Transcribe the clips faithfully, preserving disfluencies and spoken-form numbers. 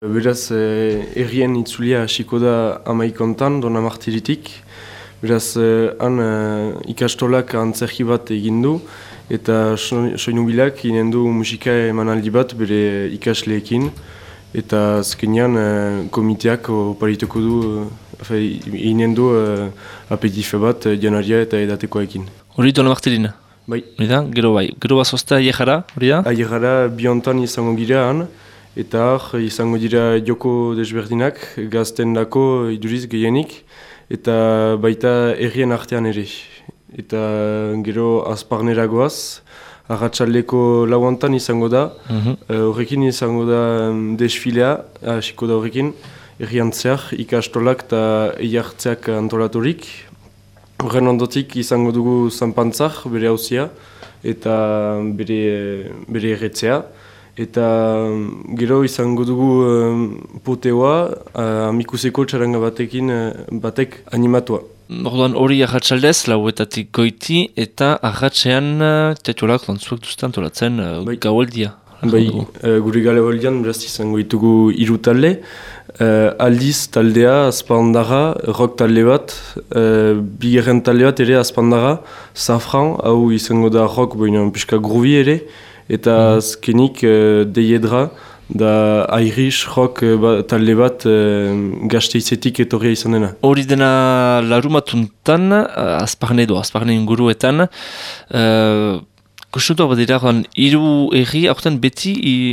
Beraz, eh, errien itzulia hasiko da amaikontan, Dona Martiritik. Beraz, eh, han eh, ikastolak antzerki bat egin du, eta soinubilak inen du musika emanaldi bat bere ikasleekin. Eta azkenean eh, komiteak oparituko du, eh, inen du eh, apetife bat eh, janaria eta edatekoekin. Hori Dona Martirina? Bai. Hori da, gero bai. Gero bazozta aiegara, hori da? Aiegara biontan izango gira han. Eta hor, izango dira joko desberdinak, gazten dako iduriz gehienik, eta baita herrien artean ere. Eta gero azparnera goaz, arratsaldeko lauantan izango da, horrekin mm-hmm. izango da desfilea, hasiko da horrekin, herrian zehar, ikastolak eta eiartzeak antolaturik. Horren ondotik izango dugu zanpantzak, bere hauzia, eta bere, bere erretzea. Eta gero izango dugu um, poteoa, uh, amikuseko txaranga batekin uh, batek animatua. Orduan hori arratsaldez, lauetatik goiti, eta arratsean uh, teatualak lantzuak duztan tolatzen uh, bai. Gaualdia. Bai, uh, gure gaualdian beraz izango ditugu hiru talde. Uh, aldiz taldea, azpandarra, rock talde bat, uh, bigarren talde bat ere azpandarra, Safran, hau izango da rock, baina pixka groovy ere. Eta azkenik uh, deiedra da Irish rock uh, talde bat uh, gazteizetik etorria izan dena. Hori dena larumatuntan, uh, azparne edo, azparne inguruetan, uh, Kostutu bat dira, hiru erri, aurten beti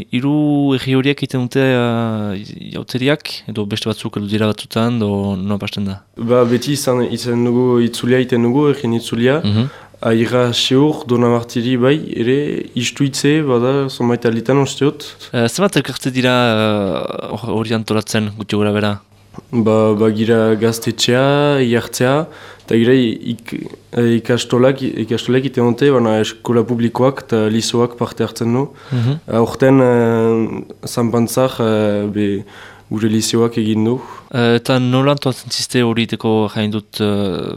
hiru erri horiek egiten dute uh, jauteriak, edo beste batzuk edo dira batzutan, edo noa pasten da? Ba, beti izan, izan dugu itzulia egiten dugu, errien itzulia. Mm-hmm. Aira seur, Dona Martiri bai, ere istuitze, bada, zonbait alitan osteot. Uh, Zemat elkarte dira hori uh, antolatzen, guti gura bera? Ba, ba gira gaztetxea, iartzea, eta gira ik, ikastolak, ikastolak ite honte, baina eskola publikoak eta lisoak parte hartzen du. Mm-hmm. Horten, uh, zanpantzak, uh, be, gure liseoak egin du. Uh, eta nola antolatzen ziste hori teko jain dut uh,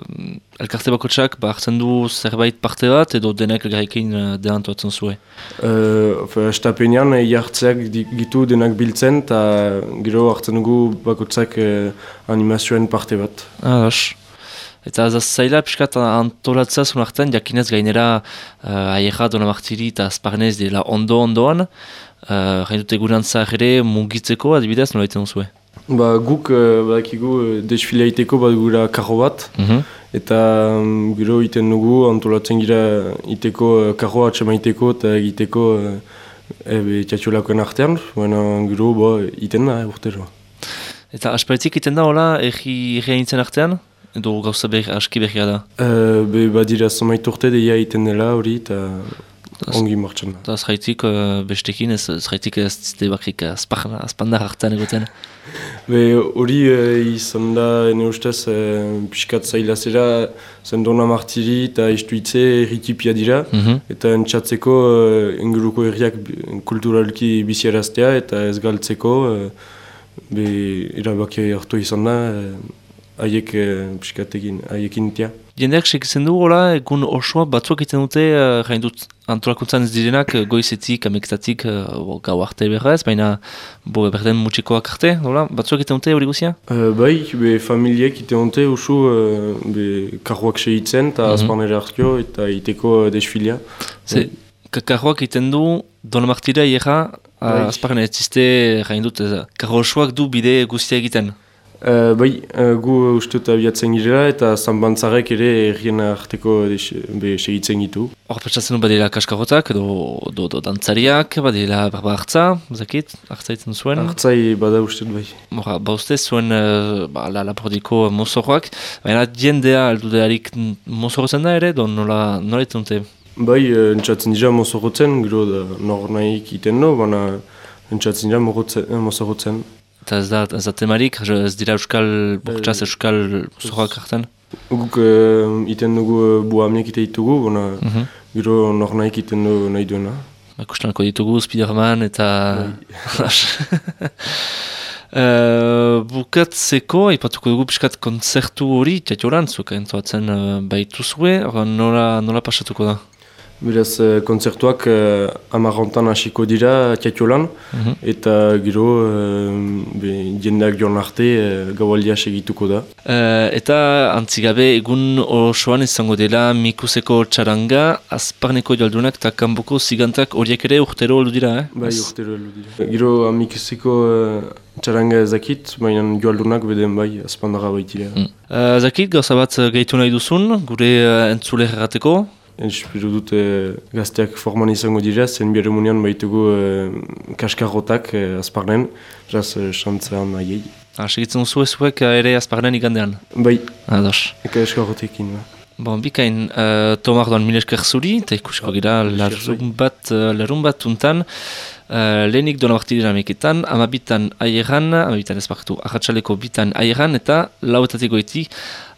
elkarte bakotxak, ba hartzen du zerbait parte bat edo denak elgarrekin uh, dena antolatzen zuen? Uh, Estapenean jartzeak gitu denak biltzen eta gero hartzen dugu bakotxak uh, animazioen parte bat. Ah, das. Eta ez zaila piskat antolatzea zuen artean, jakinez gainera uh, aiera Dona Martiri eta azparnez dela ondo-ondoan, Uh, Jain dute gurantza ere mugitzeko, adibidez, nola egiten zuen? Ba, guk uh, badakigu uh, desfilea iteko bat gura karro bat, mm-hmm. eta um, gero iten dugu antolatzen gira iteko uh, karroa atxamaiteko eta egiteko uh, ebe tiatxolakoen artean, baina gero ba, iten da, eh, urtero. Eta asparitik iten da, hola, erri nintzen artean? Edo gauza berri, aski berria da? Uh, be, badira, zomait urte deia iten dela hori, eta ongi martxan da. Eta azraitik uh, bestekin, ez azraitik ez zite bakrik azpandar hartan egoten? Hori uh, izan da, ene ustez, uh, piskat zaila zera, zen Dona Martiri eta istuitze erritipia dira, mm-hmm. eta entxatzeko uh, inguruko herriak kulturalki biziaraztea eta ez galtzeko, uh, be erabaki hartu izan da, uh, haiek uh, piskatekin, haiekin tia. Jendeak sekitzen du, hola, egun osoa batzuak egiten dute, uh, jain dut antolakuntzan ez direnak, goizetik, amektatik, uh, gau arte berrez, baina bo, berden mutxikoak arte, hola, batzuak egiten dute hori guzia? Uh, bai, be, familiek egiten dute usu, uh, be, karroak segitzen, eta mm-hmm. azparnera hartio, eta iteko uh, desfilia. Ze, bai. Karroak egiten du, Dona Martira iera, uh, azparnera ez ziste, jain dut, uh, karro osoak du bide guztia egiten. Uh, bai, uh, gu usteut abiatzen girela eta zanbantzarek ere errien arteko segitzen gitu. Hor petsatzen du badela kaskarotak edo do, do dantzariak, badela barba hartza, zakit, hartza itzen zuen? Hartzai bada usteut bai. Hora, ba uste zuen uh, ba, la lapordiko mozorroak, baina jendea aldudearik mozorrotzen da ere, do nola, nola itzen dute? Bai, uh, entzatzen dira mozorrotzen, gero da nor nahik iten no, baina entzatzen dira mozorrotzen. Eta ez da, ez da temarik, ez dira euskal, bortxaz euskal zorrak hartan? Guk uh, iten dugu uh, buamiek ite ditugu, bona mm-hmm. gero nor nahik iten du nahi duena. Kustanako ditugu, Spiderman eta... uh, bukatzeko, ipatuko dugu piskat kontzertu hori, tiatiolan, zuka entzuatzen uh, baitu zue, nola, nola pasatuko da? Beraz, uh, kontzertuak uh, amarrontan hasiko dira Tiatiolan, Mhm. eta gero uh, be, jendeak joan arte uh, gaualdia segituko da. Uh, eta antzigabe egun osoan izango dela Mikuseko txaranga, Azparneko jaldunak eta kanboko zigantak horiek ere urtero oldu dira, eh? Bai, urtero heldu dira. Gero amikuseko uh, txaranga ezakit, baina joaldunak beden bai, azpandara baitira. Mm. Uh, zakit, gauza bat gehitu nahi duzun, gure uh, entzule errateko? Espero dut eh, gazteak forman izango dira, zen biharremunian baitugu eh, kaskarrotak eh, azparnen, raz eh, xantzean nahiei. Ah, segitzen duzu ezuek uh, ere Azparnen igandean? Bai, Ados. eka eskarrotekin. Ba. Bon, bikain, uh, Tomar doan mil esker zuri, eta ikusko gira larun bat, uh, larun bat untan, uh, lehenik doan abartidera meketan, amabitan aieran, amabitan ezpartu, ahatsaleko bitan aieran, eta lauetatik goiti,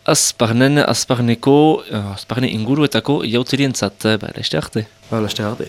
Azparnen, Azparneko, uh, Azparne inguruetako jauterientzat, ba, laste arte. Ba, laste arte.